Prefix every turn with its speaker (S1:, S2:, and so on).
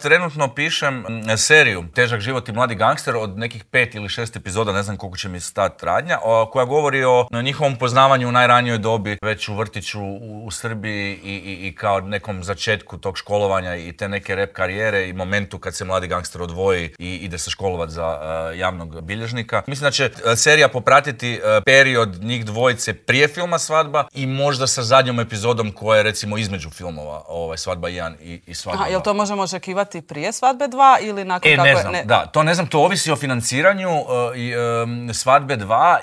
S1: Trenutno pišem seriju Težak život i mladi gangster od nekih 5 ili 6 epizoda, ne znam koliko će mi stati radnja, koja govori o njihovom poznavanju u najranijoj dobi, već u vrtiću u Srbiji i kao nekom začetku tog školovanja i te neke rap karijere i momentu kad se mladi gangster odvoji i ide se školovati za javnog bilježnika. Mislim da će serija popratiti period njih dvojice prije filma Svadba i možda sa zadnjom epizodom koja je recimo između filmova Svadba 1 i Svadba 2.
S2: Jel to možemo očekivati prije Svadbe 2 ili nakon kako
S1: ne znam, da, to ne znam, to ovisi o financiranju Svadbe 2